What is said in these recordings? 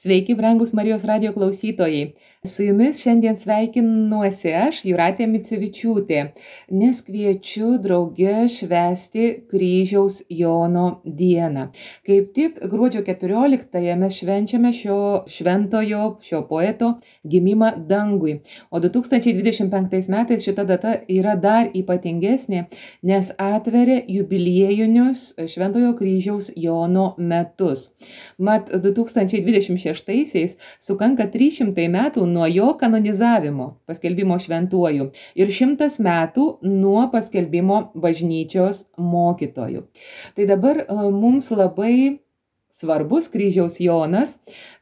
Sveiki, brangus Marijos radijo klausytojai. Su jumis šiandien sveikinuosi aš, Jūratė Micevičiūtė, nes kviečiu drauge švęsti Kryžiaus Jono dieną. Kaip tik gruodžio 14-ąją mes švenčiame šio šventojo, šio poeto gimimą dangui. O 2025 metais šita data yra dar ypatingesnė, nes atveria jubiliejinius Šventojo Kryžiaus Jono metus. Mat 2026-aisiais sukanka 300 metų nuo jo kanonizavimo, paskelbimo šventuoju, ir 100 metų nuo paskelbimo bažnyčios mokytoju. Tai dabar mums labai svarbus Kryžiaus Jonas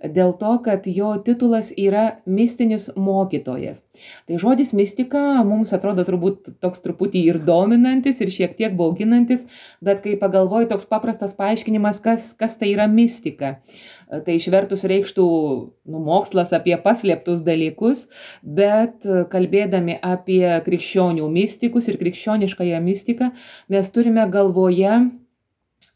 dėl to, kad jo titulas yra mistinis mokytojas. Tai žodis mistika mums atrodo turbūt toks truputį ir dominantis, ir šiek tiek bauginantis, bet kai pagalvoju, toks paprastas paaiškinimas, kas tai yra mistika. Tai išvertus reikštų mokslas apie paslėptus dalykus, bet kalbėdami apie krikščionių mistikus ir krikščioniškąją mistiką, mes turime galvoje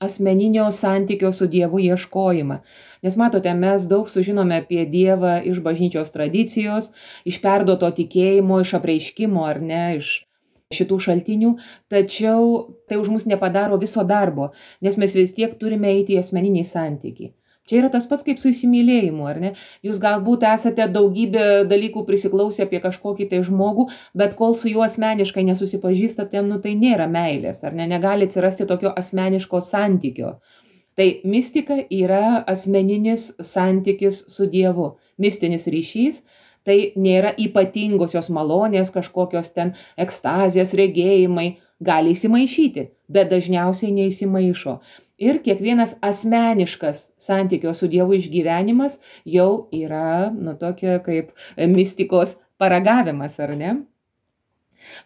asmeninio santykio su Dievu ieškojimą. Nes matote, mes daug sužinome apie Dievą iš bažnyčios tradicijos, iš perduoto tikėjimo, iš apreiškimo ar ne, iš šitų šaltinių, tačiau tai už mus nepadaro viso darbo, nes mes vis tiek turime eiti į asmeninį santykį. Čia yra tas pats kaip su įsimylėjimu, ar ne? Jūs galbūt esate daugybę dalykų prisiklausę apie kažkokį tai žmogų, bet kol su juo asmeniškai nesusipažįstate, tai nėra meilės, ar ne? Negali atsirasti tokio asmeniško santykio. Tai mistika yra asmeninis santykis su Dievu, mistinis ryšys. Tai nėra ypatingosios malonės, kažkokios ten ekstazijos, regėjimai, gali įsimaišyti, bet dažniausiai neįsimaišo. Ir kiekvienas asmeniškas santykio su Dievu išgyvenimas jau yra, tokia kaip mistikos paragavimas, ar ne?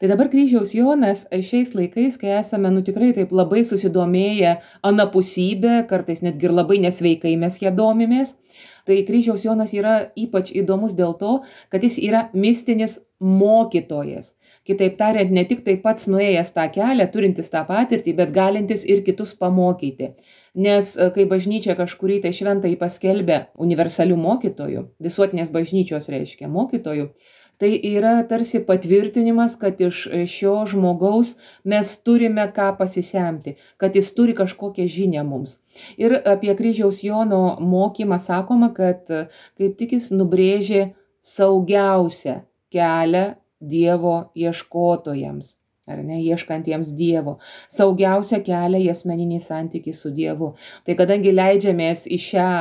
Tai dabar Kryžiaus Jonas šiais laikais, kai esame, tikrai taip labai susidomėję anapusybę, kartais netgi ir labai nesveikai mes ją domimės, tai Kryžiaus Jonas yra ypač įdomus dėl to, kad jis yra mistinis mokytojas. Kitaip tariant, ne tik tai pats nuėjęs tą kelią, turintis tą patirtį, bet galintis ir kitus pamokyti. Nes kai bažnyčia kažkurį tai šventąjį paskelbė universalių mokytojų, visuotinės bažnyčios reiškia mokytojų, tai yra tarsi patvirtinimas, kad iš šio žmogaus mes turime ką pasisemti, kad jis turi kažkokią žinią mums. Ir apie Kryžiaus Jono mokymą sakoma, kad kaip tik jis nubrėžė saugiausią kelią Dievo ieškotojams, ar ne, ieškantiems Dievo, saugiausią kelią į asmeninį santykį su Dievu. Tai kadangi leidžiamės į šią,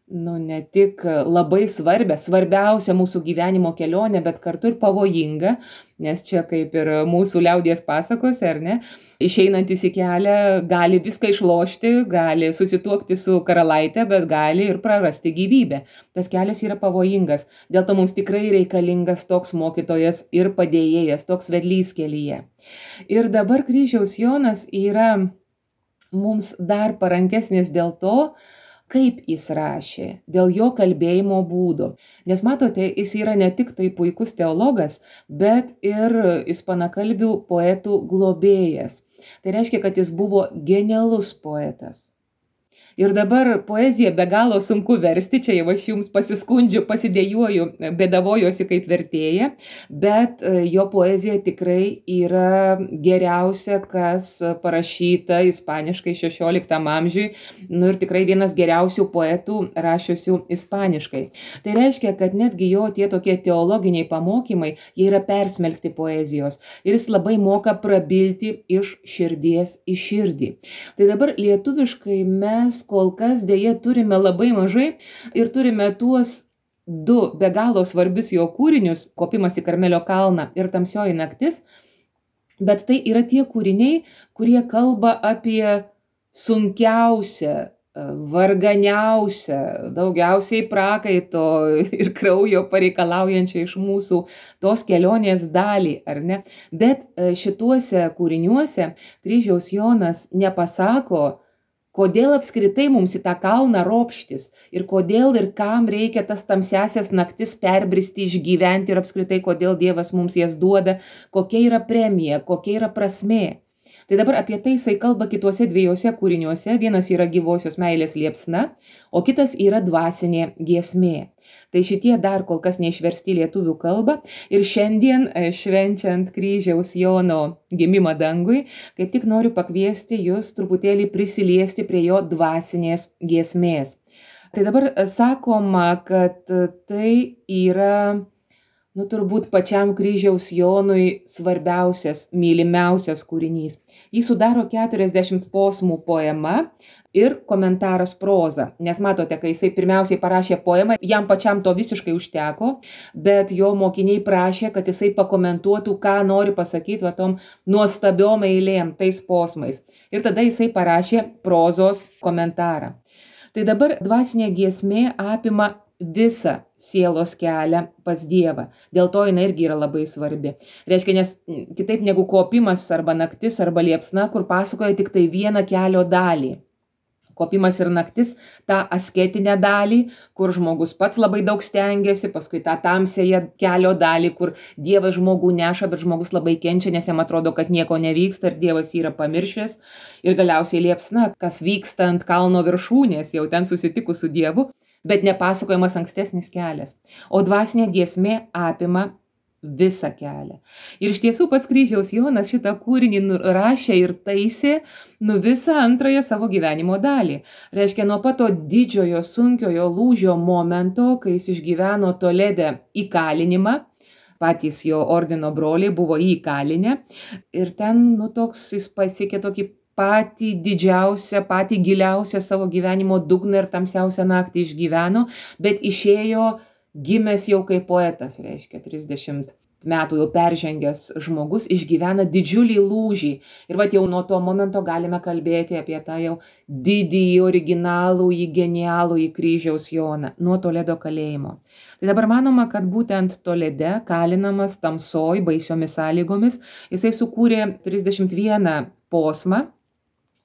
ne tik labai svarbiausią mūsų gyvenimo kelionę, bet kartu ir pavojingą, nes čia kaip ir mūsų liaudies pasakose, ar ne, išeinantis į kelią gali viską išlošti, gali susituokti su karalaitė, bet gali ir prarasti gyvybę. Tas kelias yra pavojingas, dėl to mums tikrai reikalingas toks mokytojas ir padėjėjas, toks vedlys kelyje. Ir dabar Kryžiaus Jonas yra mums dar parankesnis dėl to, kaip jis rašė, dėl jo kalbėjimo būdo. Nes matote, jis yra ne tik tai puikus teologas, bet ir ispanakalbių poetų globėjas. Tai reiškia, kad jis buvo genialus poetas. Ir dabar poeziją be galo sunku versti, čia jau aš jums pasiskundžiu, pasidėjuoju, bėdavojosi kaip vertėja, bet jo poezija tikrai yra geriausia, kas parašyta ispaniškai 16 amžiui, ir tikrai vienas geriausių poetų rašiusių ispaniškai. Tai reiškia, kad netgi jo tie tokie teologiniai pamokymai, jie yra persmelkti poezijos ir jis labai moka prabilti iš širdies į širdį. Tai dabar lietuviškai mes kol kas dėja turime labai mažai ir turime tuos du be galo svarbius jo kūrinius, Kopimas į Karmelio kalną ir Tamsioji naktis, bet tai yra tie kūriniai, kurie kalba apie sunkiausią, varganiausią, daugiausiai prakaito ir kraujo pareikalaujančią iš mūsų tos kelionės dalį, ar ne? Bet šituose kūriniuose Kryžiaus Jonas nepasako, kodėl apskritai mums į tą kalną ropštis ir kodėl ir kam reikia tas tamsiasias naktis perbristi, išgyventi ir apskritai kodėl Dievas mums jas duoda, kokia yra premija, kokia yra prasmė. Tai dabar apie tai jisai kalba kituose dviejose kūriniuose. Vienas yra gyvosios meilės liepsna, o kitas yra dvasinė giesmė. Tai šitie dar kol kas neišversti į lietuvių kalbą ir šiandien, švenčiant kryžiaus Jono gimimą dangui, kaip tik noriu pakviesti jūs truputėlį prisiliesti prie jo dvasinės giesmės. Tai dabar sakoma, kad tai yra, turbūt pačiam kryžiaus Jonui svarbiausias, mylimiausias kūrinys. Jį sudaro 40 posmų poema ir komentaras proza. Nes matote, kai jisai pirmiausiai parašė poemą, jam pačiam to visiškai užteko, bet jo mokiniai prašė, kad jisai pakomentuotų, ką nori pasakyti tom nuostabiom eilėm, tais posmais. Ir tada jisai parašė prozos komentarą. Tai dabar dvasinė giesmė apima visą sielos kelią pas Dievą. Dėl to jinai irgi yra labai svarbi. Reiškia, nes kitaip negu kopimas arba naktis arba liepsna, kur pasakoja tik tai vieną kelio dalį. Kopimas ir naktis, tą asketinę dalį, kur žmogus pats labai daug stengiasi, paskui tą tamsėje kelio dalį, kur Dievas žmogų neša, bet žmogus labai kenčia, nes jam atrodo, kad nieko nevyksta ir Dievas yra pamiršęs. Ir galiausiai liepsna, kas vyksta ant kalno viršūnės, jau ten susitikus su Dievu, bet nepasakojamas ankstesnis kelias. O dvasinė giesmė apima visą kelią. Ir iš tiesų pats kryžiaus Jonas šitą kūrinį rašė ir taisė visą antrąją savo gyvenimo dalį. Reiškia, nuo pat to didžiojo sunkiojo lūžio momento, kai jis išgyveno Tolede įkalinimą, patys jo ordino broliai buvo įkalinę ir ten, toks jis pasiekė tokį patį didžiausią, patį giliausią savo gyvenimo dugną ir tamsiausią naktį išgyveno, bet išėjo gimęs jau kaip poetas, reiškia 30 metų jau peržengęs žmogus, išgyvena didžiulį lūžį. Ir jau nuo to momento galime kalbėti apie tą jau didįjį, originalųjį, genialųjį kryžiaus Joną nuo Toledo kalėjimo. Tai dabar manoma, kad būtent Tolede, kalinamas tamsoj, baisiomis sąlygomis, jisai sukūrė 31 posmą,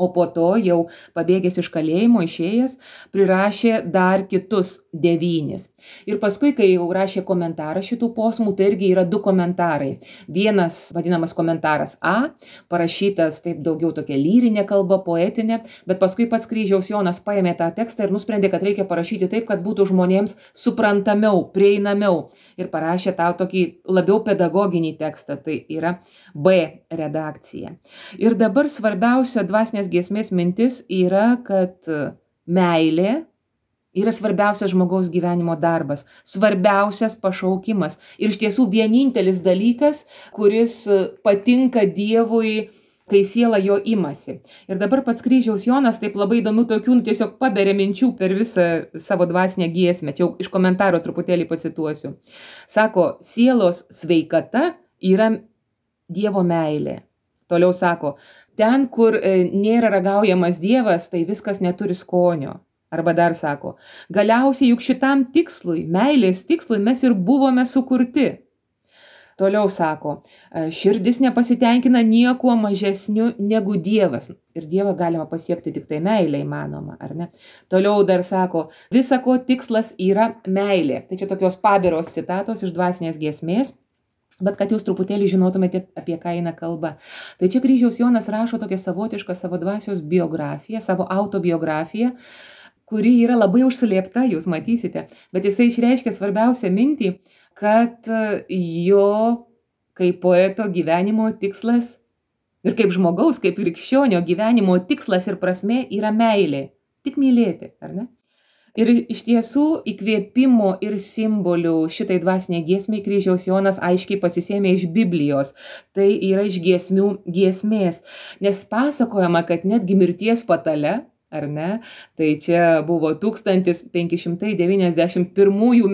o po to jau pabėgęs iš kalėjimo, išėjęs, prirašė dar kitus 9. Ir paskui, kai jau rašė komentarą šitų posmų, tai irgi yra 2 komentarai. Vienas vadinamas komentaras A, parašytas taip daugiau tokia lyrinė kalba, poetinė, bet paskui pats kryžiaus Jonas paėmė tą tekstą ir nusprendė, kad reikia parašyti taip, kad būtų žmonėms suprantamiau, prieinamiau. Ir parašė tą tokį labiau pedagoginį tekstą, tai yra B redakcija. Ir dabar svarbiausia dvasinės giesmės mintis yra, kad meilė yra svarbiausias žmogaus gyvenimo darbas, svarbiausias pašaukimas ir iš tiesų vienintelis dalykas, kuris patinka Dievui, kai siela jo imasi. Ir dabar pats kryžiaus Jonas taip labai įdomių tokių tiesiog paberia minčių per visą savo dvasinę giesmę. Čia jau iš komentaro truputėlį pacituosiu. Sako, sielos sveikata yra Dievo meilė. Toliau sako, ten, kur nėra ragaujamas Dievas, tai viskas neturi skonio. Arba dar sako, galiausiai juk šitam tikslui, meilės tikslui mes ir buvome sukurti. Toliau sako, širdis nepasitenkina niekuo mažesniu negu Dievas. Ir Dievą galima pasiekti tik tai meilė įmanoma, ar ne? Toliau dar sako, visa ko tikslas yra meilė. Tai čia tokios pabiros citatos iš dvasinės giesmės. Bet kad jūs truputėlį žinotumėte, apie ką eina kalba. Tai čia kryžiaus Jonas rašo tokią savotišką savo dvasios biografiją, savo autobiografiją, kuri yra labai užslėpta, jūs matysite. Bet jisai išreiškia svarbiausią mintį, kad jo kaip poeto gyvenimo tikslas ir kaip žmogaus, kaip krikščionio gyvenimo tikslas ir prasmė yra meilė. Tik mylėti, ar ne? Ir iš tiesų įkvėpimo ir simbolių šitai dvasiniai giesmiai kryžiaus Jonas aiškiai pasisėmė iš Biblijos. Tai yra iš giesmių giesmės. Nes pasakojama, kad netgi mirties patale, ar ne, tai čia buvo 1591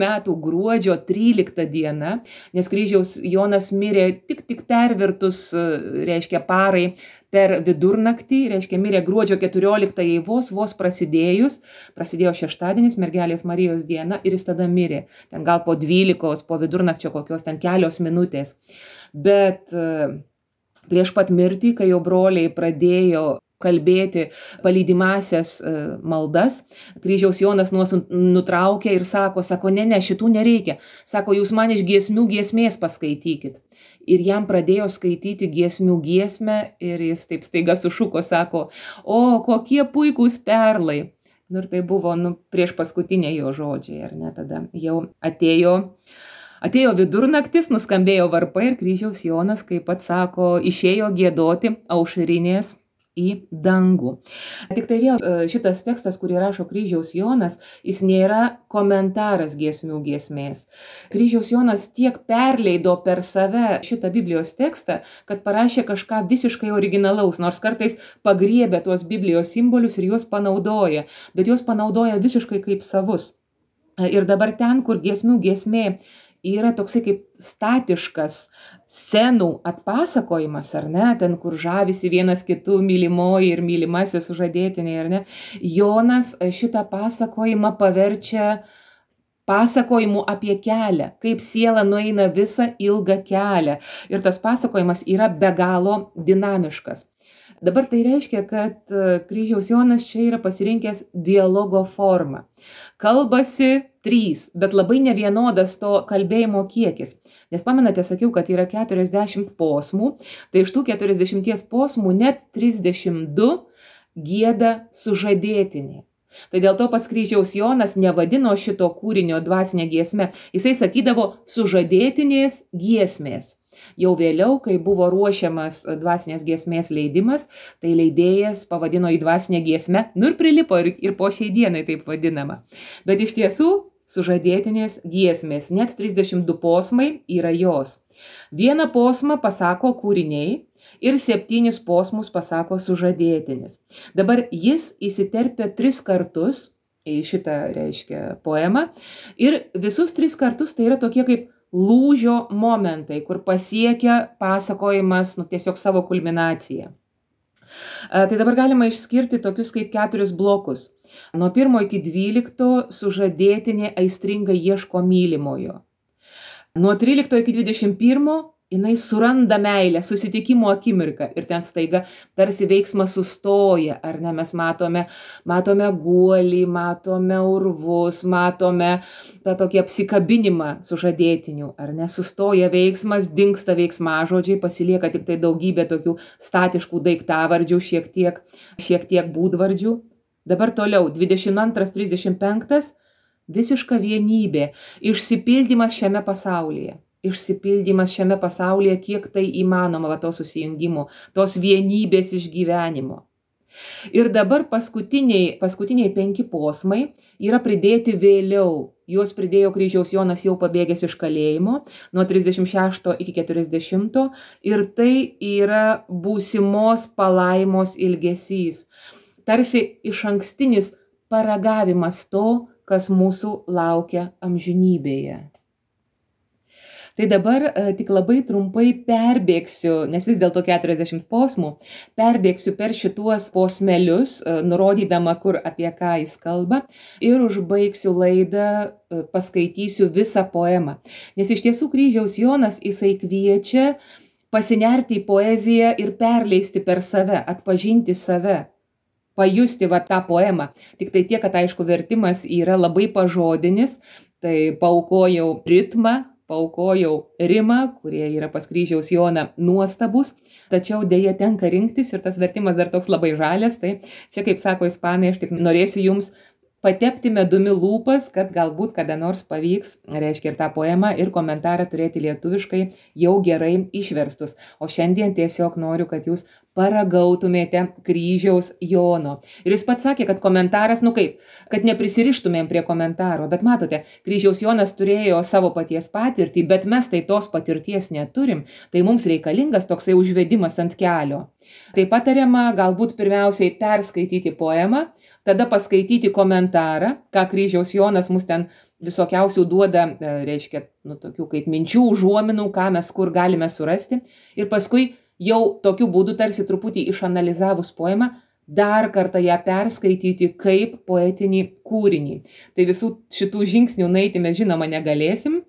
metų gruodžio 13 diena, nes kryžiaus Jonas mirė tik pervertus, reiškia parai, per vidurnaktį, reiškia mirė gruodžio 14 vos prasidėjo šeštadienis, mergelės Marijos diena ir jis tada mirė. Ten gal po 12, po vidurnakčio kokios ten kelios minutės. Bet prieš pat mirtį, kai jau broliai pradėjo kalbėti palydimąsias maldas, kryžiaus Jonas nutraukė ir sako, ne, šitų nereikia. Sako, jūs man iš giesmių giesmės paskaitykit. ir jam pradėjo skaityti giesmių giesmę ir jis taip staiga sušuko, sako, o kokie puikūs perlai. Nu, ir tai buvo prieš paskutinė jo žodžiai, ar ne, tada jau atėjo vidurnaktis, nuskambėjo varpai ir kryžiaus Jonas, kaip pats sako, išėjo giedoti aušrinės į dangų. Tik tai vėl šitas tekstas, kurį rašo kryžiaus Jonas, jis nėra komentaras giesmių giesmės. Kryžiaus Jonas tiek perleido per save šitą Biblijos tekstą, kad parašė kažką visiškai originalaus, nors kartais pagriebia tuos Biblijos simbolius ir juos panaudoja, bet juos panaudoja visiškai kaip savus. Ir dabar ten, kur giesmių giesmė yra toksai kaip statiškas scenų atpasakojimas, ar ne, ten, kur žavisi vienas kitų mylimoji ir mylimasis sužadėtiniai, ar ne, Jonas šitą pasakojimą paverčia pasakojimu apie kelią, kaip siela nueina visą ilgą kelią. Ir tas pasakojimas yra be galo dinamiškas. Dabar tai reiškia, kad kryžiaus Jonas čia yra pasirinkęs dialogo formą. Kalbasi 3, bet labai nevienodas to kalbėjimo kiekis. Nes pamenate, sakiau, kad yra 40 posmų, tai iš tų 40 posmų net 32 gieda sužadėtiniai. Tai dėl to pats kryžiaus Jonas nevadino šito kūrinio dvasinė giesme, jisai sakydavo sužadėtinės giesmės. Jau vėliau, kai buvo ruošiamas dvasinės giesmės leidimas, tai leidėjas pavadino į dvasinę giesmę, ir prilipo ir po šiai dienai taip vadinama. Bet iš tiesų sužadėtinės giesmės, net 32 posmai yra jos. Vieną posmą pasako kūriniai ir 7 posmus pasako sužadėtinis. Dabar jis įsiterpia 3 kartus į šitą, reiškia, poemą ir visus 3 kartus tai yra tokie kaip lūžio momentai, kur pasiekia pasakojimas tiesiog savo kulminaciją. Tai dabar galima išskirti tokius kaip 4 blokus. Nuo 1 iki 12 sužadėtinė aistringai ieško mylimojo. Nuo 13 iki 21 jinai suranda meilę, susitikimo akimirką ir ten staiga tarsi veiksmas sustoja, ar ne, mes matome guolį, matome urvus, matome tą tokį apsikabinimą sužadėtinių, ar ne, sustoja veiksmas, dingsta veiksmažodžiai, pasilieka tik tai daugybė tokių statiškų daiktavardžių, šiek tiek būdvardžių. Dabar toliau, 22-35, visiška vienybė, išsipildymas šiame pasaulyje. Išsipildymas šiame pasaulyje, kiek tai įmanoma, to susijungimo, tos vienybės išgyvenimo. Ir dabar paskutiniai 5 posmai yra pridėti vėliau. Juos pridėjo kryžiaus Jonas jau pabėgęs iš kalėjimo nuo 36 iki 40 ir tai yra būsimos palaimos ilgesys. Tarsi išankstinis paragavimas to, kas mūsų laukia amžinybėje. Tai dabar tik labai trumpai perbėgsiu, nes vis dėlto 40 posmų, perbėgsiu per šituos posmelius, nurodydama, kur apie ką jis kalba, ir užbaigsiu laidą, paskaitysiu visą poemą. Nes iš tiesų kryžiaus Jonas jisai kviečia pasinerti į poeziją ir perleisti per save, atpažinti save, pajusti tą poemą. Tik tai tiek, kad aišku vertimas yra labai pažodinis, tai paaukojau ritmą, paaukojau rimą, kurie yra pas kryžiaus Joną nuostabus, tačiau dėja tenka rinktis ir tas vertimas dar toks labai žalias, tai čia, kaip sako ispanai, aš tik norėsiu jums patepti medumi lūpas, kad galbūt kada nors pavyks, reiškia, ir tą poemą, ir komentarą turėti lietuviškai jau gerai išverstus. O šiandien tiesiog noriu, kad jūs paragautumėte kryžiaus Jono. Ir jis pats sakė, kad komentaras, kad neprisirištumėm prie komentaro, bet matote, kryžiaus Jonas turėjo savo paties patirtį, bet mes tai tos patirties neturim, tai mums reikalingas toksai užvedimas ant kelio. Tai patariama galbūt pirmiausiai perskaityti poemą, tada paskaityti komentarą, ką kryžiaus Jonas mus ten visokiausių duoda, reiškia, tokių kaip minčių, užuominų, ką mes kur galime surasti, ir paskui jau tokiu būdu tarsi truputį išanalizavus poemą, dar kartą ją perskaityti kaip poetinį kūrinį. Tai visų šitų žingsnių nueiti mes žinoma negalėsim,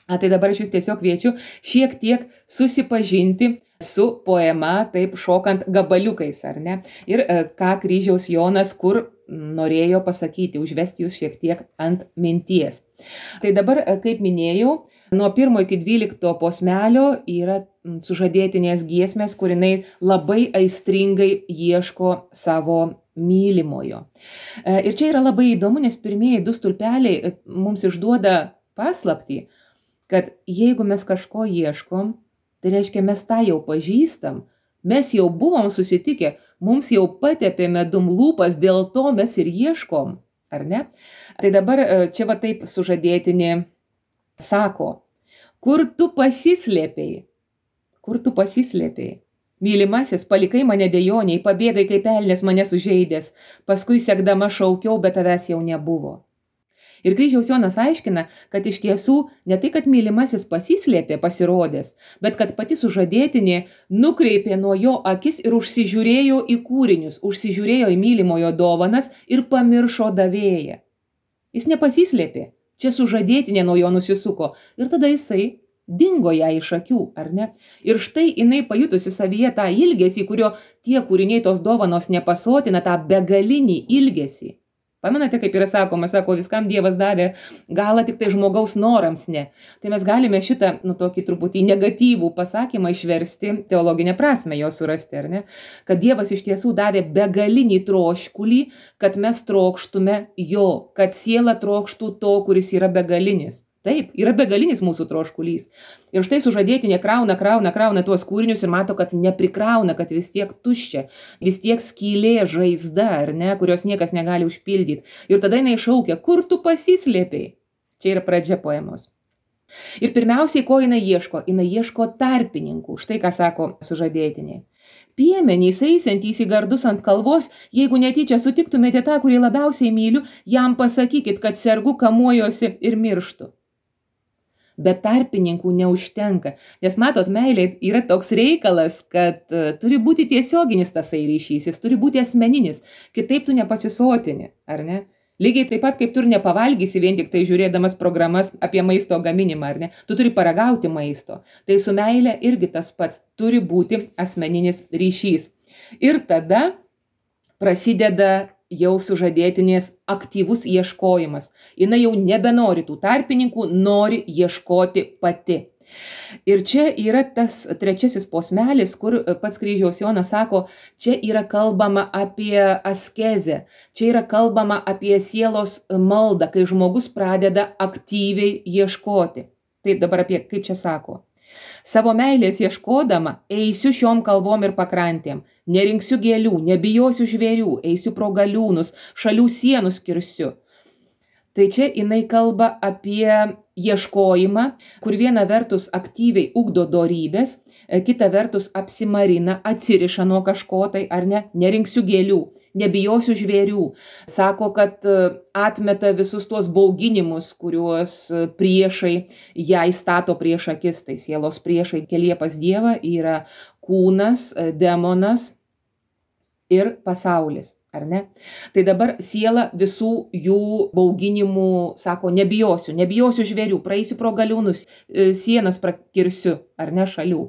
tai dabar aš jūs tiesiog kviečiu šiek tiek susipažinti su poema, taip šokant gabaliukais, ar ne? Ir ką kryžiaus Jonas kur norėjo pasakyti, užvesti jūs šiek tiek ant minties. Tai dabar, kaip minėjau, Nuo 1 iki 12 posmelio yra sužadėtinės giesmės, kur jinai labai aistringai ieško savo mylimojo. Ir čia yra labai įdomu, nes pirmieji 2 stulpeliai mums išduoda paslaptį, kad jeigu mes kažko ieškom, tai reiškia mes tą jau pažįstam, mes jau buvom susitikę, mums jau patepė medum lūpas, dėl to mes ir ieškom, ar ne? Tai dabar čia va taip sužadėtinė sako, kur tu pasislėpei? Kur tu pasislėpei? Mylimasis, palikai mane dejoniai, pabėgai kaip elnias mane sužeidęs, paskui sekdama šaukiau, bet tavęs jau nebuvo. Ir Kryžiaus Jonas aiškina, kad iš tiesų ne tai, kad mylimasis pasislėpė pasirodęs, bet kad pati sužadėtinė nukreipė nuo jo akis ir užsižiūrėjo į kūrinius, užsižiūrėjo į mylimojo dovanas ir pamiršo davėją. Jis nepasislėpė, čia sužadėtinė nuo jo nusisuko ir tada jisai dingo ją iš akių, ar ne? Ir štai jinai pajutusi savyje tą ilgesį, kurio tie kūriniai tos dovanos nepasotina, tą begalinį ilgesį. Pamenate, kaip yra sakoma, sako, viskam Dievas davė galą, tik tai žmogaus norams ne. Tai mes galime šitą, tokį truputį negatyvų pasakymą išversti, teologinę prasmę jo surasti, ar ne? Kad Dievas iš tiesų davė begalinį troškulį, kad mes trokštume jo, kad siela trokštų to, kuris yra begalinis. Taip, yra begalinis mūsų troškulys. Ir štai sužadėtinė krauna tuos kūrinius ir mato, kad neprikrauna, kad vis tiek tuščia, vis tiek skylė, žaizda, ar ne, kurios niekas negali užpildyti. Ir tada jinai šaukia, kur tu pasislėpei? Čia yra pradžia poemos. Ir pirmiausiai, ko jinai ieško? Jinai ieško tarpininkų. Štai ką sako sužadėtinė. Piemenys eisiantys į gardus ant kalvos, jeigu netyčia sutiktumėte tą, kurį labiausiai myliu, jam pasakykit, kad sergu, kamuojosi ir mirštu. Bet tarpininkų neužtenka, nes matot, meilė yra toks reikalas, kad turi būti tiesioginis tasai ryšys, jis turi būti asmeninis, kitaip tu nepasisotini, ar ne? Lygiai taip pat, kaip tu ir nepavalgysi vien tik tai žiūrėdamas programas apie maisto gaminimą, ar ne? Tu turi paragauti maisto. Tai su meilė irgi tas pats, turi būti asmeninis ryšys. Ir tada prasideda jau sužadėtinės aktyvus ieškojimas. Jinai jau nebenori tų tarpininkų, nori ieškoti pati. Ir čia yra tas 3 posmelis, kur pats Kryžiaus Jonas sako, čia yra kalbama apie askezę, čia yra kalbama apie sielos maldą, kai žmogus pradeda aktyviai ieškoti. Taip dabar apie, kaip čia sako. Savo meilės ieškodama, eisiu šiom kalvom ir pakrantėm, nerinksiu gėlių, nebijosiu žvėrių, eisiu pro galiūnus, šalių sienus kirsiu. Tai čia jinai kalba apie ieškojimą, kur viena vertus aktyviai ugdo dorybės, kita vertus apsimarina, atsiriša nuo kažko tai, ar ne, nerinksiu gėlių, nebijosiu žvėrių. Sako, kad atmeta visus tuos bauginimus, kuriuos priešai ją įstato prieš akis, tai sielos priešai kelie pas Dievą yra kūnas, demonas ir pasaulis. Ar ne? Tai dabar siela visų jų bauginimų sako, nebijosiu žvėrių, praeisiu pro galiūnus, sienas prakirsiu, ar ne, šalių.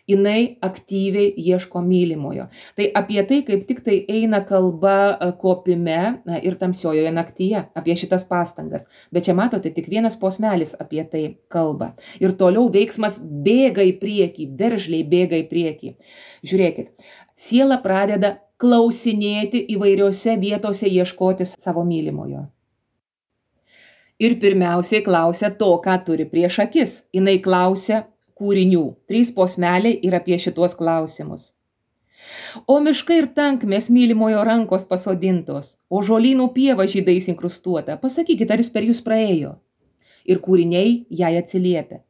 Jinai aktyviai ieško mylimojo. Tai apie tai, kaip tik tai eina kalba kopime ir tamsiojoje naktyje, apie šitas pastangas. Bet čia matote, tik vienas posmelis apie tai kalba. Ir toliau veiksmas bėga į priekį, veržliai bėga į priekį. Žiūrėkit, siela pradeda klausinėti įvairiose vietose ieškoti savo mylimojo. Ir pirmiausiai klausia to, ką turi prieš akis. Jinai klausia kūrinių. 3 posmeliai ir apie šitos klausimus. O miškai ir tankmės mylimojo rankos pasodintos, o žolynų pieva žydais inkrustuota. Pasakykit, ar jis per jūs praėjo? Ir kūriniai jai atsiliepia.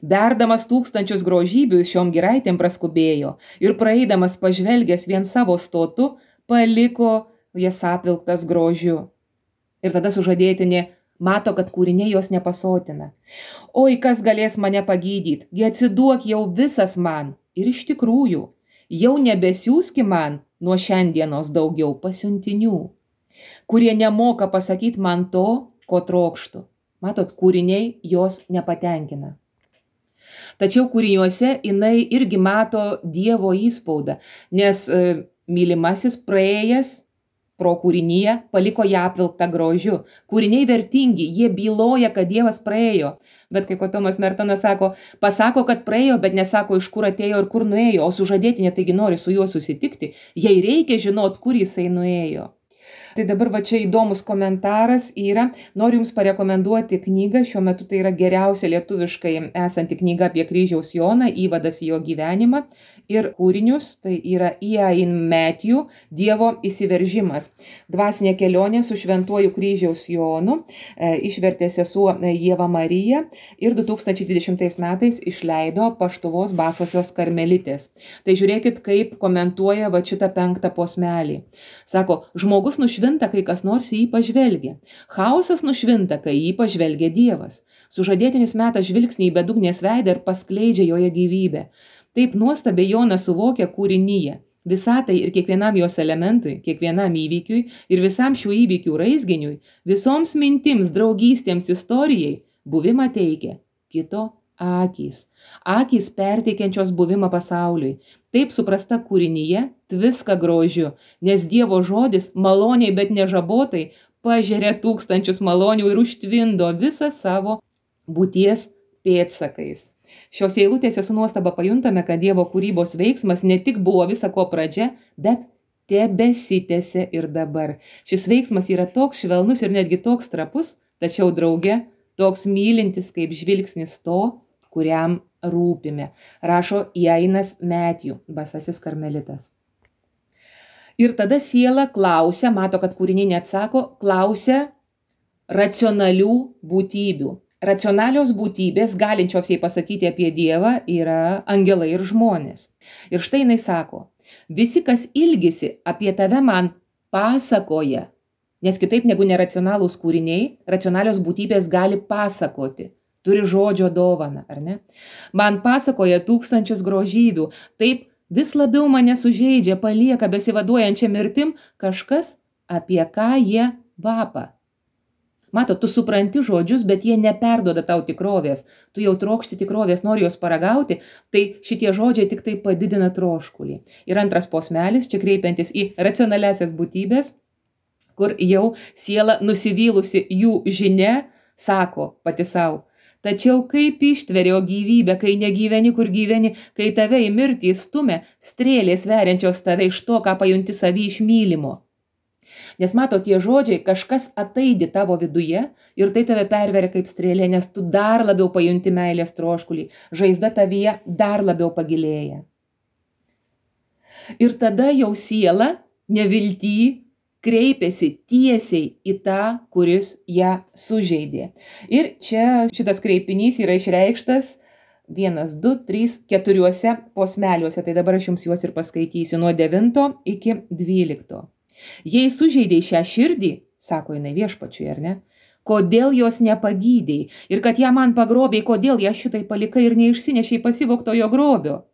Berdamas tūkstančius grožybių šiom giraitėm praskubėjo ir praeidamas pažvelgęs vien savo stotu, paliko jas apvilktas grožiu. Ir tada sužadėtinė mato, kad kūriniai jos nepasotina. Oi, kas galės mane pagydyti, gi atsiduok jau visas man. Ir iš tikrųjų, jau nebesiųski man nuo šiandienos daugiau pasiuntinių, kurie nemoka pasakyti man to, ko trokštų. Matot, kūriniai jos nepatenkina. Tačiau kūriniuose jinai irgi mato Dievo įspaudą, nes mylimasis praėjęs pro kūrinyje, paliko ją apvilktą grožiu. Kūriniai vertingi, jie byloja, kad Dievas praėjo. Bet kaip Tomas Mertonas sako, pasako, kad praėjo, bet nesako, iš kur atėjo ir kur nuėjo, o sužadėtinė taigi nori su juo susitikti, jai reikia žinot, kur jisai nuėjo. Tai dabar va čia įdomus komentaras yra, noriu Jums parekomenduoti knygą, šiuo metu tai yra geriausia lietuviškai esanti knyga apie kryžiaus Joną, įvadas į jo gyvenimą ir kūrinius, tai yra Ian Matthew, Dievo įsiveržimas. Dvasinė kelionė su šventuoju kryžiaus Jonu, išvertė sesuo Ieva Marija ir 2020 metais išleido Paštuvos Basosios karmelitės. Tai žiūrėkit, kaip komentuoja va šitą 5 posmelį. Sako, žmogus nušvinta, kai kas nors į jį pažvelgia. Chaosas nušvinta, kai į jį pažvelgia Dievas. Sužadėtinis meta žvilgsnį į bedugnės veidą ir paskleidžia joje gyvybę. Taip nuostabiai Jonas suvokia kūrinyje, visatai ir kiekvienam jos elementui, kiekvienam įvykiui ir visam šių įvykių raizginiui, visoms mintims, draugystėms, istorijai buvimą teikia kito akys. Akys perteikiančios buvimą pasauliui. Taip suprasta kūrinyje tviska grožiu, nes Dievo žodis maloniai, bet nežabotai pažeria tūkstančius malonių ir užtvindo visą savo būties pėdsakais. Šios eilutėse su nuostaba pajuntame, kad Dievo kūrybos veiksmas ne tik buvo visa ko pradžia, bet tebesitęsia ir dabar. Šis veiksmas yra toks švelnus ir netgi toks trapus, tačiau drauge toks mylintis kaip žvilgsnis to, kuriam rūpime, rašo Ianas Matthew, Basasis karmelitas. Ir tada siela klausia, mato, kad kūriniai neatsako, klausia racionalių būtybių. Racionalios būtybės, galinčios jai pasakyti apie Dievą, yra angelai ir žmonės. Ir štai jinai sako, visi, kas ilgisi apie tave man pasakoja, nes kitaip negu neracionalūs kūriniai, racionalios būtybės gali pasakoti. Turi žodžio dovaną, ar ne? Man pasakoja tūkstančius grožybių, taip vis labiau mane sužeidžia, palieka besivaduojančią mirtim kažkas, apie ką jie vapa. Mato, tu supranti žodžius, bet jie neperduoda tau tikrovės. Tu jau trokšti tikrovės, nori jos paragauti, tai šitie žodžiai tik tai padidina troškulį. Ir antras posmelis, čia kreipiantis į racionaliasias būtybės, kur jau siela nusivylusi jų žinia, sako pati savo. Tačiau kaip ištverio gyvybę, kai negyveni, kur gyveni, kai tave į mirtį stumia strėlės veriančios tave iš to, ką pajunti savį iš mylimo. Nes mato, tie žodžiai kažkas ataidi tavo viduje ir tai tave perveria kaip strėlė, nes tu dar labiau pajunti meilės troškulį, žaizda tavyje dar labiau pagilėja. Ir tada jau siela nevilty kreipiasi tiesiai į tą, kuris ją sužeidė. Ir čia šitas kreipinys yra išreikštas 1, 2, 3, 4 posmeliuose, tai dabar aš jums juos ir paskaitysiu nuo 9 iki 12. Jei sužeidėjai šią širdį, sako jinai Viešpačiui, ar ne, kodėl jos nepagydėjai ir kad ją man pagrobėjai, kodėl ją šitai palikai ir neišsinešiai pasivogtojo grobio.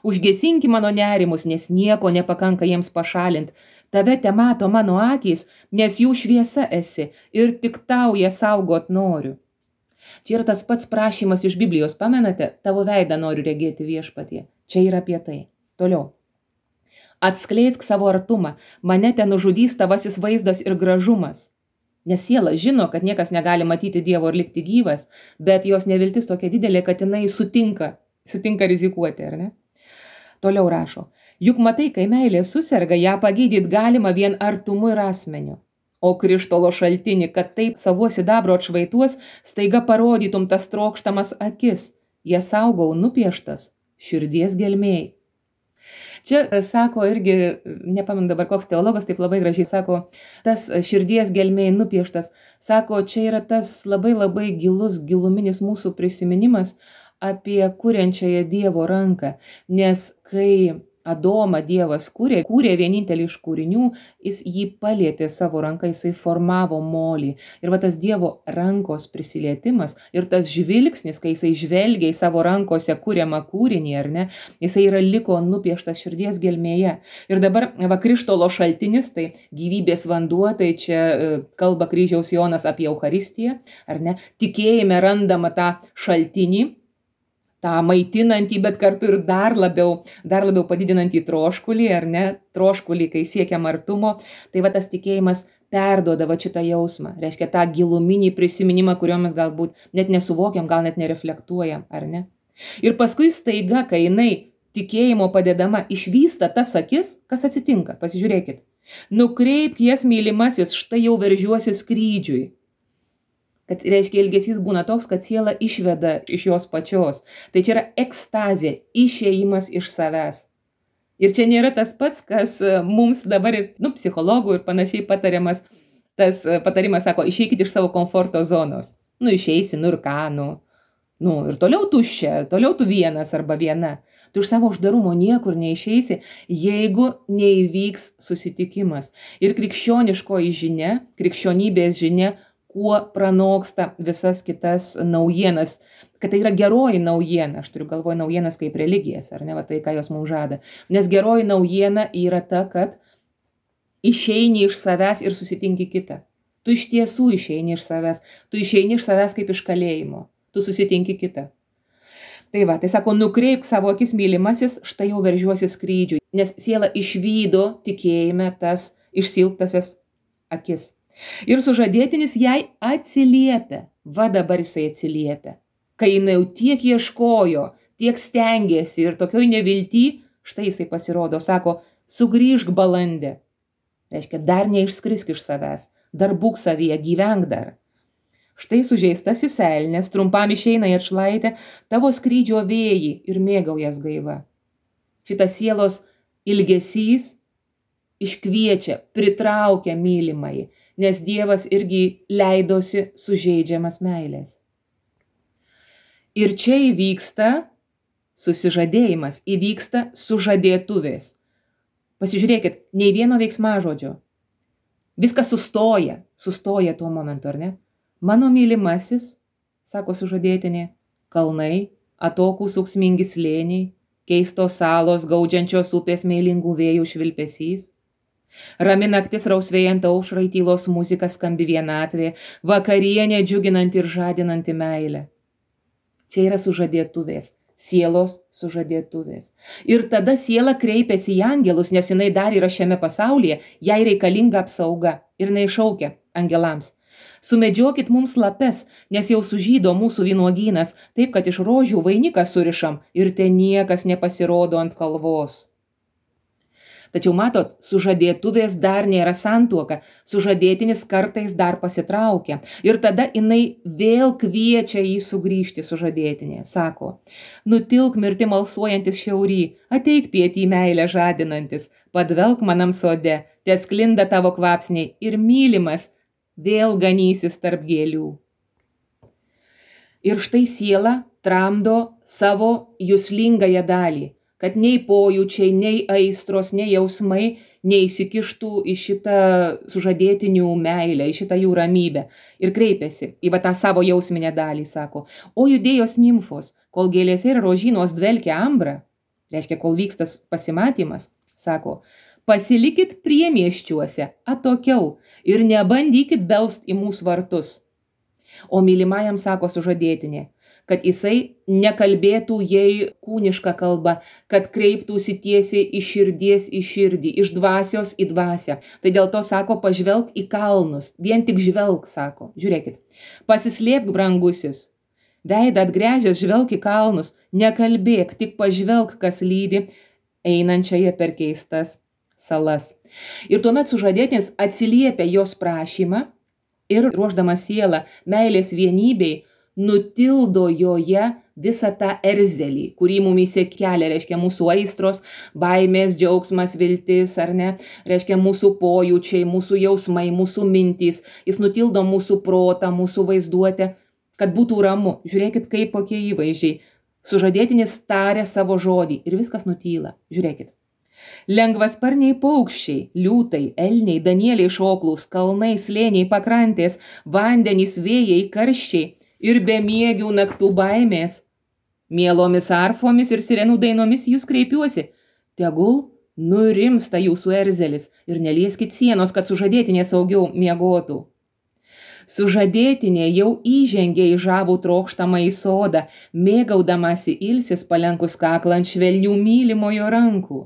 Užgesinki mano nerimus, nes nieko nepakanka jiems pašalint. Tave te mato mano akys, nes jų šviesa esi ir tik tau ją saugot noriu. Čia yra tas pats prašymas iš Biblijos, pamenate, tavo veidą noriu regėti Viešpatie. Čia yra apie tai. Toliau. Atskleisk savo artumą, mane ten nužudys tavasis vaizdas ir gražumas. Nes siela žino, kad niekas negali matyti Dievo ir likti gyvas, bet jos neviltis tokia didelė, kad jinai sutinka rizikuoti, ar ne? Toliau rašo, juk matai, kai meilė suserga, ją pagydyt galima vien artumu ir asmeniu. O krištolo šaltinį, kad taip savo sidabro atšvaituos, staiga parodytum tas trokštamas akis, jas saugau nupieštas širdies gelmėj. Čia sako irgi, nepamenu dabar koks teologas, taip labai gražiai sako, tas širdies gelmėj nupieštas, sako, čia yra tas labai giluminis mūsų prisiminimas apie kuriančiąją Dievo ranką, nes kai Adomą Dievas kūrė vienintelį iš kūrinių, jis jį palietė savo ranką, jisai formavo molį. Ir va tas Dievo rankos prisilietimas ir tas žvilgsnis, kai jisai žvelgia į savo rankose kuriamą kūrinį, ar ne, jisai liko nupieštas širdies gelmėje. Ir dabar va krištolo šaltinis, tai gyvybės vanduo, tai čia kalba kryžiaus Jonas apie Eucharistiją, ar ne, tikėjime randama tą šaltinį, tą maitinantį, bet kartu ir dar labiau padidinantį troškulį, ar ne, troškulį, kai siekiam artumo. Tai va tas tikėjimas perduoda va šitą jausmą, reiškia tą giluminį prisiminimą, kurio mes galbūt net nesuvokiam, gal net nereflektuojam, ar ne? Ir paskui staiga, kai jinai tikėjimo padedama išvysta tas akis, kas atsitinka, pasižiūrėkit. Nukreipk jas, mylimasis, štai jau veržiuosi skrydžiui. Kad reiškia ilgesys būna toks, kad siela išveda iš jos pačios. Tai čia yra ekstazė, išėjimas iš savęs. Ir čia nėra tas pats, kas mums dabar, psichologų ir panašiai patariamas, tas patarimas sako, išeikit iš savo komforto zonos. Išeisi, ir ką, ir toliau tuščia, toliau tu vienas arba viena. Tu iš savo uždarumo niekur neišeisi, jeigu neįvyks susitikimas. Ir krikščioniškoji žinia, krikščionybės žinia, kuo pranoksta visas kitas naujienas, kad tai yra geroji naujiena, aš turiu galvoje naujienas kaip religijas, ar ne, va tai, ką jos mums žada. Nes geroji naujiena yra ta, kad išeini iš savęs ir susitinki kitą. Tu iš tiesų išeini iš savęs, tu išeini iš savęs kaip iš kalėjimo, tu susitinki kitą. Tai va, tai sako, nukreipk savo akis, mylimasis, štai jau veržiuosi skrydžiui, nes siela išvydo tikėjime tas išsilptasias akis. Ir sužadėtinis jai atsiliepia, va dabar jisai atsiliepia. Kai jinai jau tiek ieškojo, tiek stengėsi ir tokioj nevilty, štai jisai pasirodo, sako, sugrįžk balandė. Reiškia, dar neišskrisk iš savęs, dar būk savyje, gyvenk dar. Štai sužeistasis elnias, trumpam išeina į atšlaitę, tavo skrydžio vėjai ir mėgaujas gaiva. Šitas sielos ilgesys iškviečia, pritraukia mylimai, nes Dievas irgi leidosi sužeidžiamas meilės. Ir čia įvyksta susižadėjimas, įvyksta sužadėtuvės. Pasižiūrėkit, nei vieno veiksmažodžio. Viskas sustoja tuo momentu, ar ne? Mano mylimasis, sako sužadėtinė, kalnai, atokūs ūksmingi slėniai, keistos salos, gaudžiančios upės meilingų vėjų švilpesys. Rami naktis rausvėjant aušrai, tylos muzika skambi vienatvė, vakarienė džiuginanti ir žadinanti meilę. Čia yra sužadėtuvės, sielos sužadėtuvės. Ir tada siela kreipiasi į angelus, nes jinai dar yra šiame pasaulyje, jai reikalinga apsauga ir jinai šaukia angelams. Sumedžiokit mums lapes, nes jau sužydo mūsų vynuogynas, taip kad iš rožių vainiką surišam ir ten niekas nepasirodo ant kalvos. Tačiau matot, sužadėtuvės dar nėra santuoka, sužadėtinis kartais dar pasitraukia. Ir tada jinai vėl kviečia jį sugrįžti sužadėtinė. Sako, nutilk mirti malsuojantis šiaury, ateik pietį meilę žadinantis, padvelk manam sode, tesklinda tavo kvapsniai ir mylimas vėl ganysis tarp gėlių. Ir štai siela tramdo savo juslingąją dalį, kad nei pojūčiai, nei aistros, nei jausmai neįsikištų į šitą sužadėtinių meilę, į šitą jų ramybę. Ir kreipiasi į tą savo jausminę dalį, sako, o judėjos nimfos, kol gėlėse ir rožynos dvelkia ambra, reiškia, kol vyksta pasimatymas, sako, pasilikit priemiesčiuose, atokiau ir nebandykit belst į mūsų vartus. O mylimajam sako sužadėtinė, kad jisai nekalbėtų jai kūnišką kalbą, kad kreiptųsi tiesiai iš širdies į širdį, iš dvasios į dvasią. Tai dėl to sako, pažvelk į kalnus, vien tik žvelk, sako. Žiūrėkit, pasislėpk, brangusis, veidą atgręžęs žvelk į kalnus, nekalbėk, tik pažvelk, kas lydi einančiąją per keistas salas. Ir tuomet sužadėtinis atsiliepia jos prašymą ir ruošdamas sielą meilės vienybei, nutildo joje visą tą erzelį, kurį mumyse kelia, reiškia mūsų aistros, baimės, džiaugsmas, viltis, ar ne, reiškia mūsų pojūčiai, mūsų jausmai, mūsų mintys. Jis nutildo mūsų protą, mūsų vaizduotę, kad būtų ramu. Žiūrėkit, kaip kokie įvaizdžiai. Sužadėtinis taria savo žodį ir viskas nutyla. Žiūrėkit. Lengvasparniai paukščiai, liūtai, elniai, danieliai šoklūs, kalnai, slėniai, pakrantės, vandenys, vėjai, karščiai ir bemiegių naktų baimės. Mielomis arfomis ir sirenų dainomis jūs kreipiuosi. Tegul nurimsta jūsų erzelis ir nelieskit sienos, kad sužadėtinė saugiau miegotų. Sužadėtinė jau įžengė į žavų trokštamą į sodą, mėgaudamasi ilsis palenkus kaklą ant švelnių mylimojo rankų.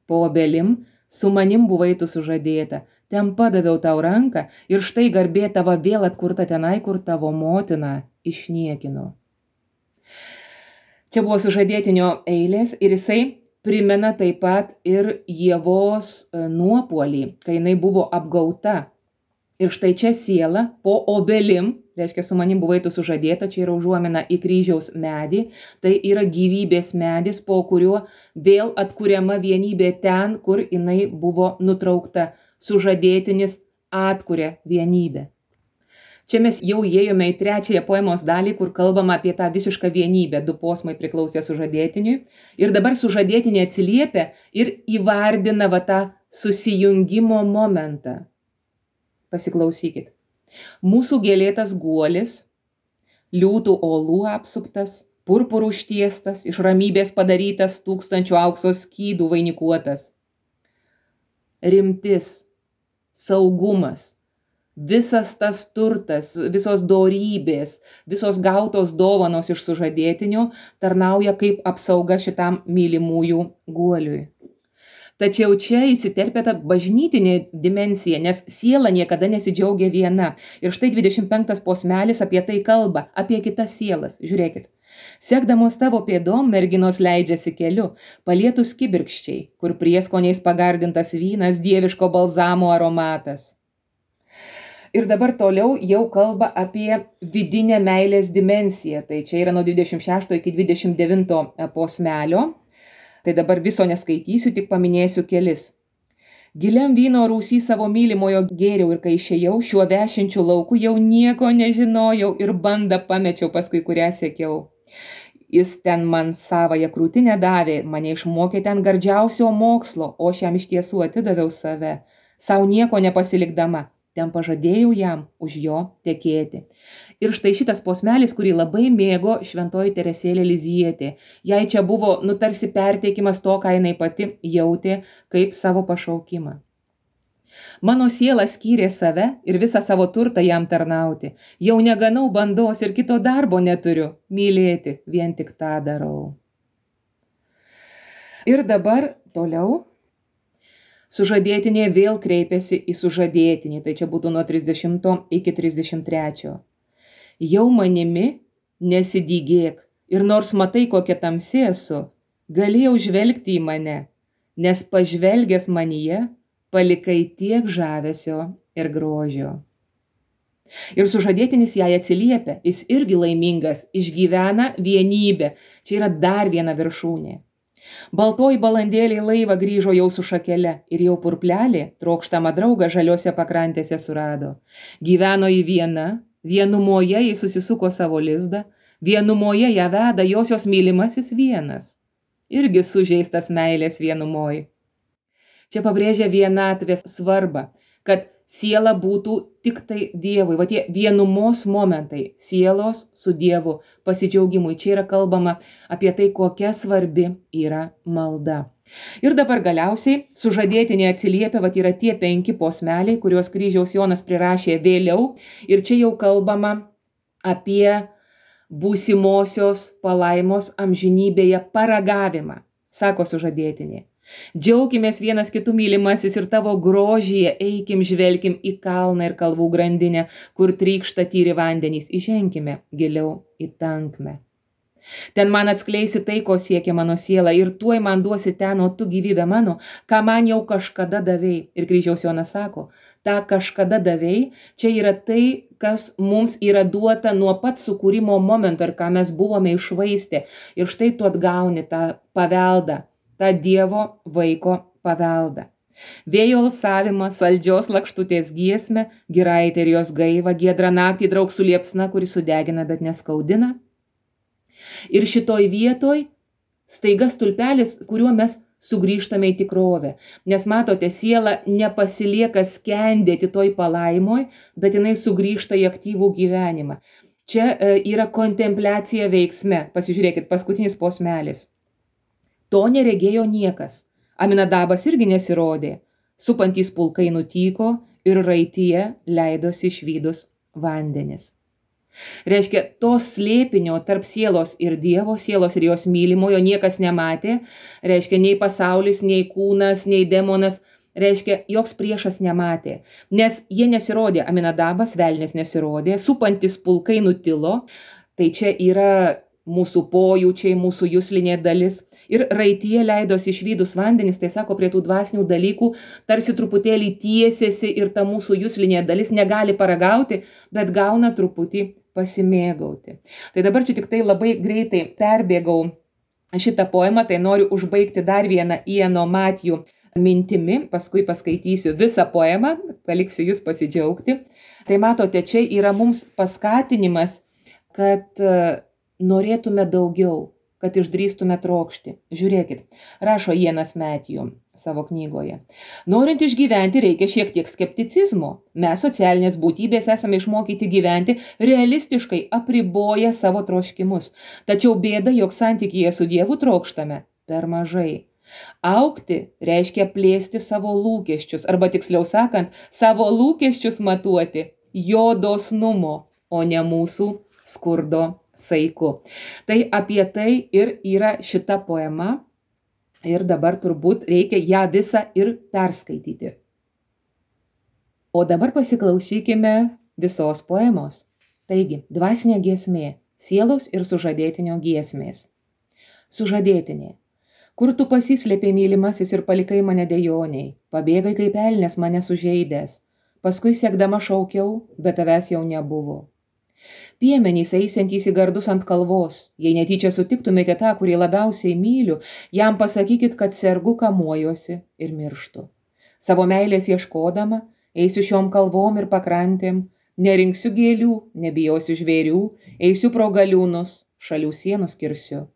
Po obelim su manim buvai tu sužadėta, ten padaviau tau ranką ir štai garbė tava vėl atkurta tenai, kur tavo motina išniekino. Čia buvo sužadėtinio eilės ir jisai primena taip pat ir Ievos nuopuolį, kai jinai buvo apgauta. Ir štai čia siela po obelim, reiškia su manim buvai tu sužadėta, čia yra užuomina į kryžiaus medį, tai yra gyvybės medis, po kuriuo vėl atkuriama vienybė ten, kur jinai buvo nutraukta. Sužadėtinis atkuria vienybę. Čia mes jau įėjome į trečiąją poemos dalį, kur kalbama apie tą visišką vienybę. Du posmai priklausė sužadėtiniui. Ir dabar sužadėtinė atsiliepia ir įvardina va tą susijungimo momentą. Pasiklausykit. Mūsų gėlėtas guolis, liūtų olų apsuptas, purpurų užtiestas, iš ramybės padarytas, 1000 aukso skydų vainikuotas. Rimtis, saugumas, visas tas turtas, visos dorybės, visos gautos dovanos iš sužadėtinio tarnauja kaip apsauga šitam mylimųjų guoliui. Tačiau čia įsiterpia ta bažnytinė dimensija, nes siela niekada nesidžiaugia viena. Ir štai 25 posmelis apie tai kalba, apie kitas sielas. Žiūrėkit. Sekdamos tavo pėdom merginos leidžiasi keliu, palietus kibirkščiai, kur prieskoniais pagardintas vynas, dieviško balzamo aromatas. Ir dabar toliau jau kalba apie vidinę meilės dimensiją. Tai čia yra nuo 26 iki 29 posmelio. Tai dabar viso neskaitysiu, tik paminėsiu kelis. Giliam vyno rūsy savo mylimojo gėriau ir kai išėjau, šiuo vešinčiu lauku jau nieko nežinojau ir bandą pamečiau, paskui kurią siekiau. Jis ten man savąją krūtinę davė, mane išmokė ten gardžiausio mokslo, o aš jam iš tiesų atidaviau save, sau nieko nepasilikdama. Ten pažadėjau jam už jo tekėti. Ir štai šitas posmelis, kurį labai mėgo šventoji Teresėlė Lizietė. Jai čia buvo tarsi perteikimas to, ką jinai pati jautė kaip savo pašaukimą. Mano siela skyrė save ir visą savo turtą jam tarnauti. Jau neganau bandos ir kito darbo neturiu. Mylėti, vien tik tą darau. Ir dabar toliau. Sužadėtinė vėl kreipėsi į sužadėtinį, tai čia būtų nuo 30 iki 33. Jau manimi nesidygėk ir nors matai, kokia tamsi esu, galėjau žvelgti į mane, nes pažvelgęs manyje palikai tiek žavesio ir grožio. Ir sužadėtinis jai atsiliepia, jis irgi laimingas, išgyvena vienybę, čia yra dar viena viršūnė. Baltoji balandėlė laivą grįžo jau su šakele ir jau purplelė trokštamą draugą žaliose pakrantėse surado. Gyveno į viena, vienumoje jis susisuko savo lizdą, vienumoje ją veda josios mylimasis vienas. Irgi sužeistas meilės vienumoj. Čia pabrėžia vienatvės svarbą, kad siela būtų tik tai Dievui. Va tie vienumos momentai, sielos su Dievu pasidžiaugimui. Čia yra kalbama apie tai, kokia svarbi yra malda. Ir dabar galiausiai sužadėtinė atsiliepia, va yra tie 5 posmeliai, kuriuos kryžiaus Jonas prirašė vėliau. Ir čia jau kalbama apie būsimosios palaimos amžinybėje paragavimą, sako sužadėtinė. Džiaukimės vienas kitų mylimasis ir tavo grožyje eikim žvelkim į kalną ir kalvų grandinę, kur trykšta tyri vandenys, įženkime giliau į tankmę. Ten man atskleisi tai, ko siekia mano siela ir tuoj man duosi ten, o tu gyvybę mano, ką man jau kažkada davei. Ir kryžiaus Jonas sako, tą kažkada davei, čia yra tai, kas mums yra duota nuo pat sukūrimo momento ir ką mes buvome iššvaistę. Ir štai tu atgauni tą paveldą, tą Dievo vaiko paveldą. Vėjo alsavimą, saldžios lakštutės giesmę, giraitę ir jos gaivą, giedrą naktį draug su liepsna, kuri sudegina, bet neskaudina. Ir šitoj vietoj staiga stulpelis, kuriuo mes sugrįžtame į tikrovę. Nes matote, siela nepasilieka skendėti toj palaimoj, bet jinai sugrįžta į aktyvų gyvenimą. Čia yra kontempliacija veiksme. Pasižiūrėkit, paskutinis posmelis. To neregėjo niekas. Aminadabas irgi nesirodė. Supantys pulkai nutyko ir raityje leidosi išvydus vandenis. Reiškia, tos slėpinio tarp sielos ir Dievo, sielos ir jos mylimojo niekas nematė, reiškia, nei pasaulis, nei kūnas, nei demonas, reiškia, joks priešas nematė, nes jie nesirodė, Aminadabas, velnės nesirodė, supantis pulkai nutilo, tai čia yra mūsų pojūčiai, mūsų juslinė dalis. Ir raityje leidosi išvydus vandenis, tai sako, prie tų dvasinių dalykų tarsi truputėlį tiesiasi ir ta mūsų juslinė dalis negali paragauti, bet gauna truputį pasimėgauti. Tai dabar čia tik tai labai greitai perbėgau šitą poemą, tai noriu užbaigti dar vieną Iano Matthew mintimi, paskui paskaitysiu visą poemą, paliksiu jūs pasidžiaugti. Tai matote, čia yra mums paskatinimas, kad norėtume daugiau, kad išdrįstume trokšti. Žiūrėkit, rašo Ianas Matthew savo knygoje. Norint išgyventi, reikia šiek tiek skepticizmo. Mes, socialinės būtybės, esame išmokyti gyventi realistiškai, apriboję savo troškimus. Tačiau bėda, jog santykyje su Dievu trokštame per mažai. Augti reiškia plėsti savo lūkesčius, arba tiksliau sakant, savo lūkesčius matuoti jo dosnumo, o ne mūsų skurdo saiku. Tai apie tai ir yra šita poema ir dabar turbūt reikia ją visą ir perskaityti. O dabar pasiklausykime visos poemos. Taigi, dvasinė giesmė, sielos ir sužadėtinio giesmės. Sužadėtinė. Kur tu pasislėpė, mylimasis, ir palikai mane dejoniai, pabėgai kaip elnias mane sužeidęs, paskui siekdama šaukiau, bet tavęs jau nebuvo. Piemenys eisiantys į gardus ant kalvos, jei netyčia sutiktumėte tą, kurį labiausiai myliu, jam pasakykit, kad sergu, kamuojuosi ir mirštu. Savo meilės ieškodama, eisiu šiom kalvom ir pakrantėm, nerinksiu gėlių, nebijosiu žvėrių, eisiu pro galiūnus, šalių sienus kirsiu.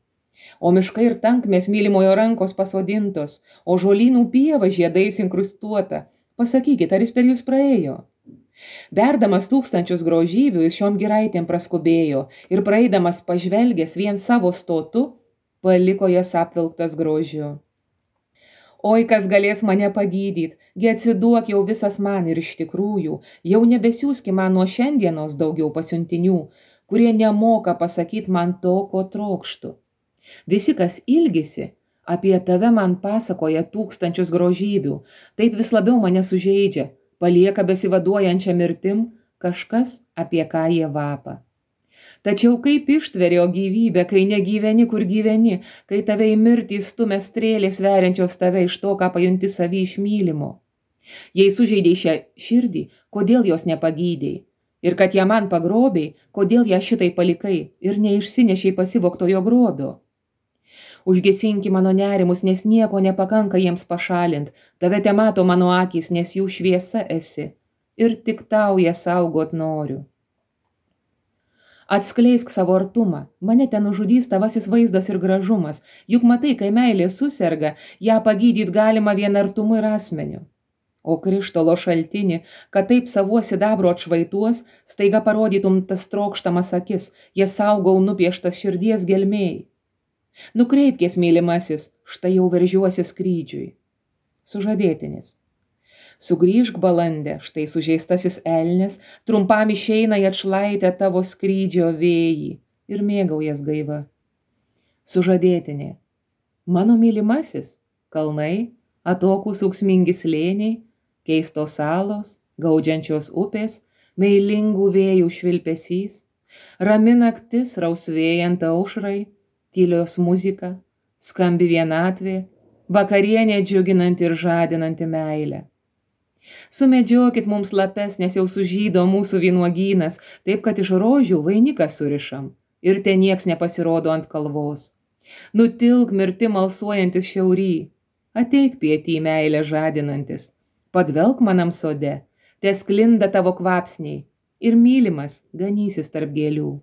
O miškai ir tankmės mylimojo rankos pasodintos, o žolynų pieva žiedais inkrustuota, pasakykit, ar jis per jūs praėjo? Berdamas tūkstančius grožybių, jis šiom giraitėm praskubėjo ir praeidamas pažvelgęs vien savo stotu, paliko jas apvilktas grožiu. Oi, kas galės mane pagydyt, gi atsiduok jau visas man ir iš tikrųjų, jau nebesiųski man nuo šiandienos daugiau pasiuntinių, kurie nemoka pasakyti man to, ko trokštų. Visi, kas ilgisi, apie tave man pasakoja tūkstančius grožybių, taip vis labiau mane sužeidžia, palieka besivaduojančią mirtim kažkas, apie ką jie vapa. Tačiau kaip ištverio gyvybę, kai negyveni, kur gyveni, kai tave į mirtį stumia strėlės veriančios tave iš to, ką pajunti savį iš mylimo. Jei sužeidei šią širdį, kodėl jos nepagydei? Ir kad ją man pagrobiai, kodėl ją šitai palikai ir neišsinešiai pasivogtojo grobio? Užgesinki mano nerimus, nes nieko nepakanka jiems pašalint, tave te mato mano akys, nes jų šviesa esi, ir tik tau ją saugot noriu. Atskleisk savo artumą, mane ten nužudys tavasis vaizdas ir gražumas, juk matai, kai meilė suserga, ją pagydyt galima vien artumu ir asmeniu. O krištolo šaltinį, kad taip savuo sidabro atšvaituos, staiga parodytum tas trokštamas akis, jas saugau nupieštas širdies gelmėj. Nukreipkės, mylimasis, štai jau veržiuosi skrydžiui. Sužadėtinis. Sugrįžk, balandė, štai sužeistasis elnias, trumpam išeina į atšlaitę tavo skrydžio vėjį ir mėgaujas gaiva. Sužadėtinė. Mano mylimasis, kalnai, atokūs ūksmingi slėniai, keistos salos, gaudžiančios upės, meilingų vėjų švilpesys, rami naktis rausvėjant aušrai, tylios muzika, skambi vienatvė, vakarienė džiuginanti ir žadinanti meilę. Sumedžiokit mums lapes, nes jau sužydo mūsų vynuogynas, taip kad iš rožių vainiką surišam ir ten nieks nepasirodo ant kalvos. Nutilk mirtim alsuojantis šiaury, ateik pietį meilę žadinantis, padvelk manam sode, te sklinda tavo kvapsniai ir mylimas ganysis tarp gėlių.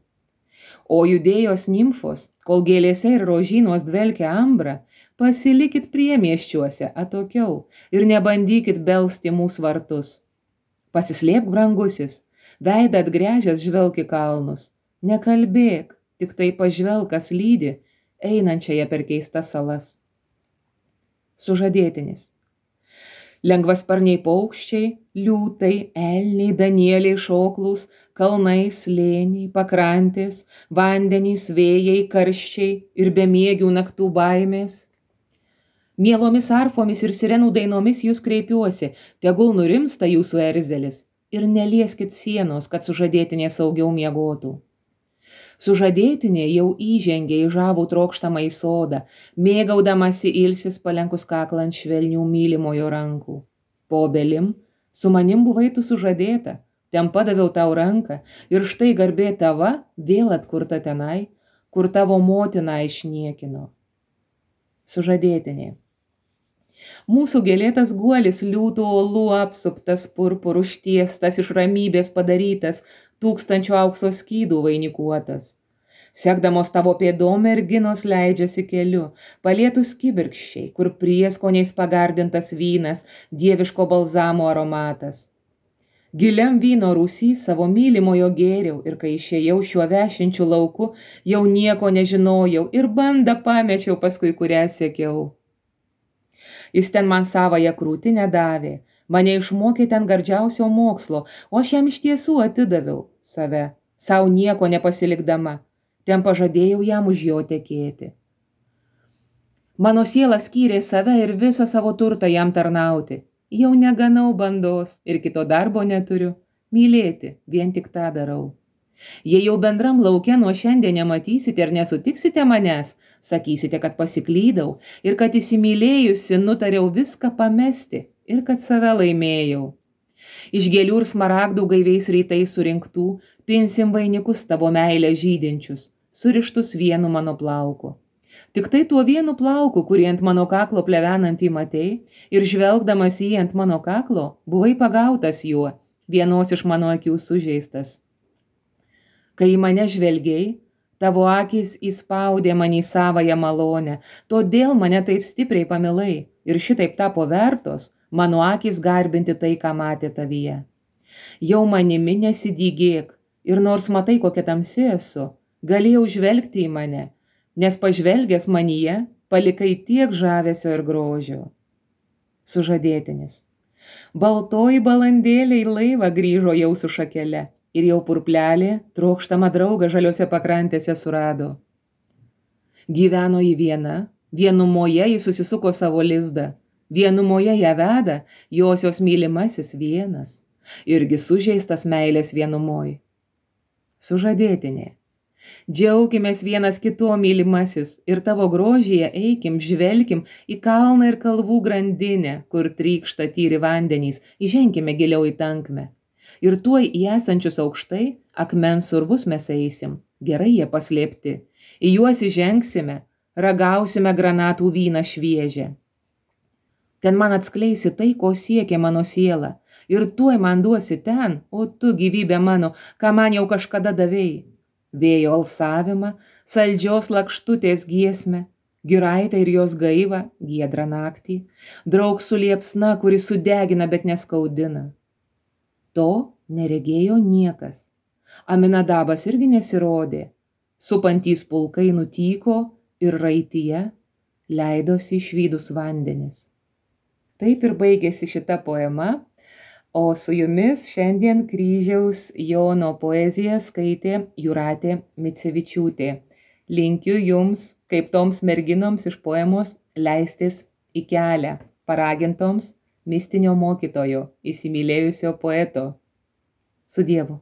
O judėjos nimfos, kol gėlėse ir rožynuos dvelkia ambra, pasilikit priemiesčiuose atokiau ir nebandykit belsti mūsų vartus. Pasislėpk, brangusis, veidą atgręžęs žvelk į kalnus, nekalbėk, tik tai pažvelk, kas lydi, einančiąją per keistas salas. Sužadėtinis. Lengvasparniai paukščiai, liūtai, elniai, danieliai, šoklūs, kalnai, slėniai, pakrantės, vandenys, vėjai, karščiai ir bemiegių naktų baimės. Mielomis arfomis ir sirenų dainomis jūs kreipiuosi, tegul nurimsta jūsų erzelis ir nelieskit sienos, kad sužadėtinė saugiau miegotų. Sužadėtinė jau įžengė į žavų trokštamą į sodą, mėgaudamasi ilsis palenkus kaklą ant švelnių mylimojo rankų. Po obelim, su manim buvai tu sužadėta, ten padaviau tau ranką ir štai garbė tava vėl atkurta tenai, kur tavo motina išniekino. Sužadėtinė. Mūsų gėlėtas guolis liūtų uolų apsuptas, purpurų užtiestas, iš ramybės padarytas, 1000 aukso skydų vainikuotas. Sekdamos tavo pėdom merginos leidžiasi keliu, palietus kibirkščiai, kur prieskoniais pagardintas vynas, dieviško balzamo aromatas. Giliam vyno rūsy savo mylimojo gėriau ir kai išėjau šiuo vešinčiu lauku, jau nieko nežinojau ir bandą pamečiau paskui kurią siekiau. Jis ten man savąją krūtinę davė, mane išmokė ten gardžiausio mokslo, o aš jam iš tiesų atidaviau save, sau nieko nepasilikdama, ten pažadėjau jam už jo tekėti. Mano siela skyrė save ir visą savo turtą jam tarnauti, jau neganau bandos ir kito darbo neturiu, mylėti vien tik tą darau. Jei jau bendram lauke nuo šiandien nematysite ir nesutiksite manęs, sakysite, kad pasiklydau ir kad įsimylėjusi nutariau viską pamesti ir kad save laimėjau. Iš gėlių ir smaragdų gaiviais rytais surinktų, pinsim vainikus tavo meilę žydinčius, surištus vienu mano plauku. Tik tai tuo vienu plauku, kurį ant mano kaklo plevenantį matei, ir žvelgdamas jį ant mano kaklo, buvai pagautas juo, vienos iš mano akių sužeistas. Kai į mane žvelgiai, tavo akys įspaudė man į savąją malonę, todėl mane taip stipriai pamilai ir šitaip tapo vertos mano akys garbinti tai, ką matė tavyje. Jau manimi nesidygėk ir nors matai, kokia tamsi esu, galėjau žvelgti į mane, nes pažvelgęs manyje palikai tiek žavesio ir grožio. Sužadėtinis. Baltoji balandėlė į laivą grįžo jau su šakele. Ir jau purplelė trokštamą draugą žaliose pakrantėse surado. Gyveno į viena, vienumoje jis susisuko savo lizdą, vienumoje ją veda josios mylimasis vienas, irgi sužeistas meilės vienumoj. Sužadėtinė. Džiaukimės vienas kituo mylimasis ir tavo grožyje eikim, žvelkim į kalną ir kalvų grandinę, kur trykšta tyri vandenys, įženkime giliau į tankmę. Ir tuoj į esančius aukštai akmens urvus mes eisim, gerai jie paslėpti, į juos įžengsime, ragausime granatų vyną šviežią. Ten man atskleisi tai, ko siekia mano siela, ir tuoj man duosi ten, o tu gyvybė mano, ką man jau kažkada davėjai. Vėjo alsavimą, saldžios lakštutės giesmę, giraitę ir jos gaivą, giedrą naktį, draugsų liepsna, kuri sudegina, bet neskaudina. To neregėjo niekas. Aminadabas irgi nesirodė. Supantys pulkai nutyko ir raityje leidosi išvydus vandenis. Taip ir baigėsi šita poema, o su jumis šiandien Kryžiaus Jono poeziją skaitė Jūratė Micevičiūtė. Linkiu jums, kaip toms merginoms iš poemos, leistis į kelią, paragintoms mistinio mokytojo, įsimylėjusio poeto. Su Dievu.